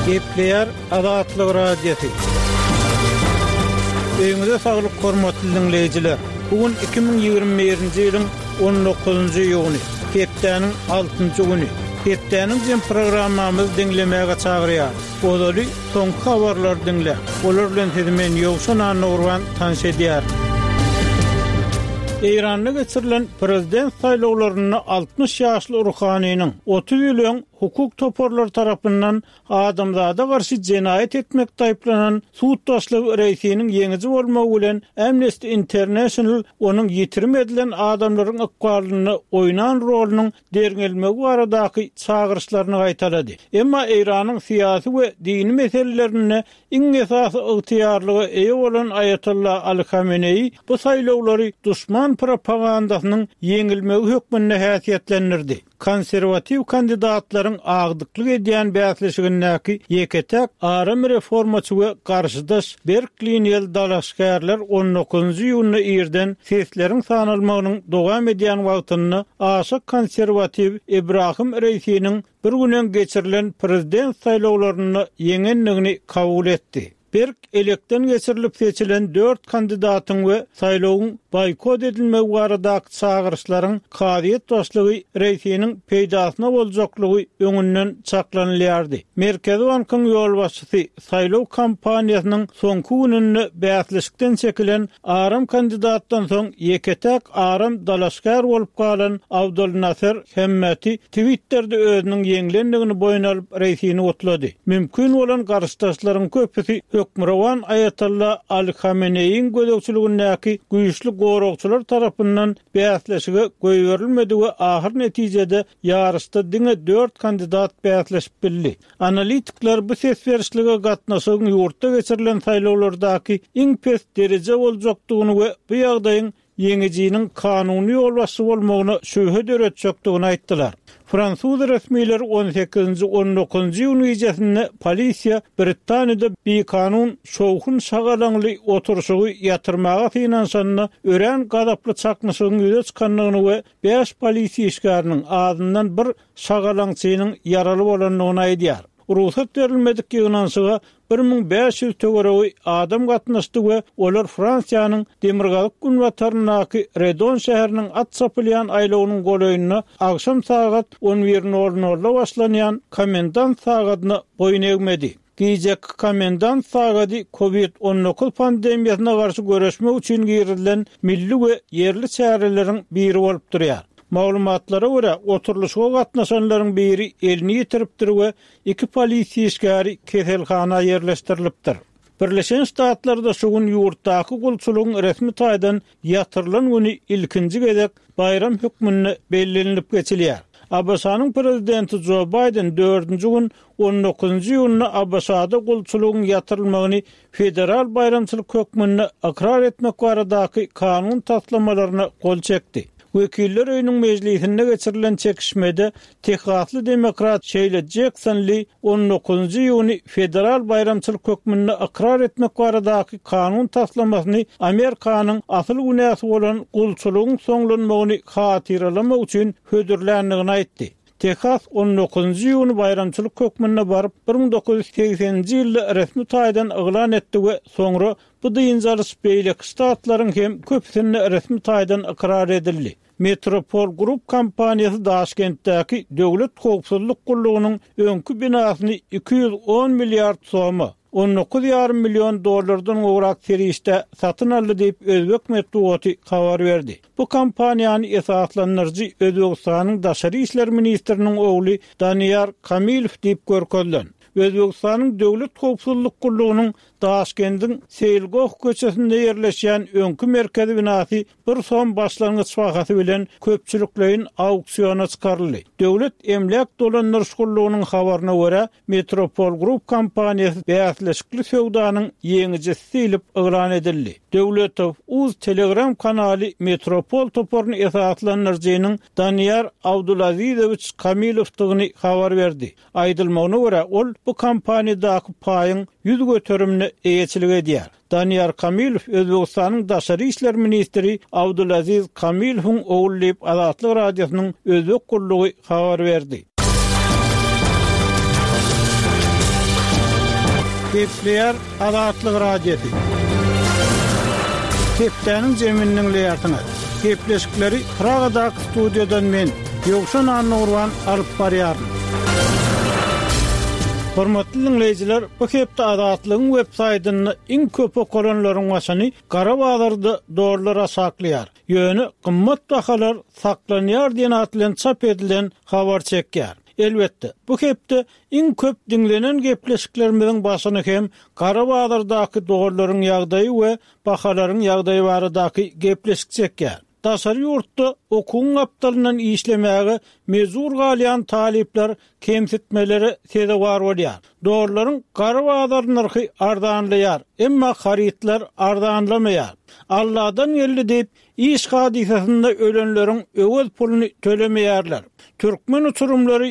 Gepleýär Azatlyk Radiosy. Öýüňize saglyk hormatly diňleýjiler! Bu gün 2021-nji ýylyň 19-njy iýuny, hepdäniň altynjy güni. Hepdäniň jem programmamyzy diňlemäge çagyrýarys. Ozaly soňky habarlary diňläň. Olar bilen sizi men Ýowşan Annagurban tanyş edýärin. Eýranda geçirilen prezident saýlawlarynda 60 ýaşly Ruhaniniň 30 ýyl öň hukuk toparlary tarapyndan adamzada garşy jenaýat etmekde aýyplanan sud başlygy Reisiniň ýeňiji bolmagy bilen Amnesty International onuň ýitirim edilen adamlaryň ykbalynda oýnan rolunyň derňelmegi baradaky çagyryşlaryny gaýtalady. Emma Eýranyň syýasy we dini meselelerinde iň esasy ygtyýarlyga eýe bolan Aýatolla Aly Hameneýi bu saýlawlary duşman propagandasynyň ýeňilmegi hökmünde häsiýetlendirdi. Konserwatiw kandidatlaryň agdyklyk edýän bäsleşigindäki ýeke-täk aram reformaçy we garşydaş berk liniýaly dalaşgärler on dokuzynjy iýunda irden sesleriň sanalmagynyň dowam edýän wagtynda aşa konserwatiw Ibrahim Reisiniň bir gün öň geçirilen prezident saýlawlarynda ýeňendigini kabul etdi. Berk elekden geçirilip seçilen dört kandidatyň we saýlawyň boýkot edilmegi baradaky çagyryşlaryň kazyýet başlygy Reisiniň peýdasyna boljaklygy öňünden çaklanylýardy. Merkezi bankyň ýolbaşçysy saýlaw kampaniýasynyň soňky gününde bäsleşikden çekilen aram kandidatdan soň ýeke-täk aram dalaşgär bolup galan Abdolnaser Hemmeti Twitterde özüniň ýeňlendigini boýun alyp, Reisini gutlady. Mümkin bolan garşydaşlaryň köpüsi hökmürowan Aýatolla Aly Hameneýiň gözegçiligindäki güýçli goragçylar tarapyndan bäsleşige goýberilmedi we ahyr netijede ýaryşda diňe dört kandidat bäsleşip bildi. Analitikler bu ses berişlige gatnaşygyň ýurtda geçirilen saýlawlardaky iň pes dereje boljakdygyny we bu ýagdaýyň ýeňijiniň kanuny ýolbaşçy bolmagyna şübhe döretjekdigini aýtdylar. Fransuz resmileri on sekizinji, on dokuzynjy iýun gijesinde polisiýa Britaniýada bikanun şowhun-şagalaňly oturyşygy ýatyrmaga synanyşanda örän gazaply çaknyşygyň ýüze çykandygyny we bäş polisiýa işgäriniň, azyndan bir şagalaňçynyň ýaraly bolandygyny aýdýar. Rugsat berilmedik ýygnanyşyga 1500 töweregi adam gatnaşdy we olar Fransiýanyň demirgazyk-günbataryndaky Redon şäheriniň at çapylýan aýlawynyň golaýynda agşam sagat on bir nol nolda başlanýan komendant sagadyna boýun egmedi. Gijeki komendant sagady Covid 19 pandemiýasyna garşy göreşmek üçin girizilen milli we ýerli çäreleriň biri bolup durýar. Maglumatlara görä, oturylyşyga gatnaşanlaryň biri elini ýitiripdir we iki polisiýa işgäri keselhana ýerleşdirilipdir. Birleşen Ştatlarda şu gün ýurtdaky gulçulygyň resmi taýdan ýatyrylan güni ilkinji gezek baýram hökmünde bellenilip geçilýär. ABŞ-nyň prezidenti Jo Baýden dördünji gün on dokuzynjy iýunda ABŞ-da gulçulygyň ýatyrylmagyny federal baýramçylyk hökmünde ykrar etmek baradaky kanun taslamalaryna gol çekdi. Wekiller öýüniň mejlisinde geçirilen çekişmede tehasly demokrat Şeýla Jekson Li on dokuzynjy iýuny federal baýramçylyk hökmünde ykrar etmek baradaky kanun taslamasyny Amerikanyň asyl günäsi bolan gulçulygyň soňlanmagyny hatyralamak üçin hödürländigini aýtdy. Tehas on dokuzynjy iýuny baýramçylyk hökmünde baryp, bir müň 980-nji ýylda resmi taýdan yglan etdi we soňra bu dynç alyş beýleki ştatlaryň hem köpüsinde resmi taýdan ykrar edildi. Metropol Group kompaniýasy Daşkentdäki Döwlet howpsuzlyk gullugynyň öňki binasyny 210 milliard soma, 19 ýarym million dollardan gowrak serişdä satyn aldy diýip, özbek metbugaty habar berdi. Bu kompaniýany esaslandyryjy Özbegistanyň daşary işler ministriniň ogly Daniýar Kamilow diýip görkezilen. Özbegistanyň Döwlet howpsuzlyk gullugynyň Daşkendiň Seýilgoh köçesinde ýerleşýän öňki merkezi binasy bir som başlangyç bahasy bilen köpçülikleýin auksiona çykaryldy. Döwlet emläk dolandyryş gullugynyň habaryna görä, Metropol Group kompaniýasy bäsleşikli söwdanyň ýeňijisi diýlip yglan edildi. Döwletow uz Telegram kanaly Metropol toparyny esaslandyryjynyň Daniýar Abdulazizowiç Kamilowdygyny habar berdi. Aýdylmagyna görä, ol bu kompaniýadaky paýyň 100 göterimine eýeçilik edýär. Daniýar Kamilow Özbegistanyň daşary işler ministri Abdulaziz Kamilowyň ogly diýip, Azatlyk Radiosynyň Özbek gullugy habar berdi. Gepleýär Azatlyk Radiosy. Hepdäniň jemini diňleýärsiňiz. Gepleşikleri Pragadaky studiýadan men, Ýowşan Annagurban alyp barýaryn. Hormatly diňleýjiler, bu hepde Azatlygyň web saýtynda iň köp okalanlaryň başyny gara bazarda dollar aşaklaýar, ýöne gymmat bahalar saklanýar diýen at bilen çap edilen habar çekýär. Elbetde, bu hepde Iň köp diňlenen gepleşiklerimiziň başyny hem gara bazardaky dollaryň ýagdaýy we bahalaryň ýagdaýy baradaky gepleşik çekýär. Daşary ýurtda okuwyň gapdalyndan işlemäge mejbur galýan talyplar kemsitmelere sezewar bolýar. Dollaryň gara bazar nyrhy arzanlaýar, emma harytlar arzanlamaýar. Alladan geldi diýip, Iş hadysasynda ölenleriň öwez puluny tölemeýärler. Türkmen uçurymlary.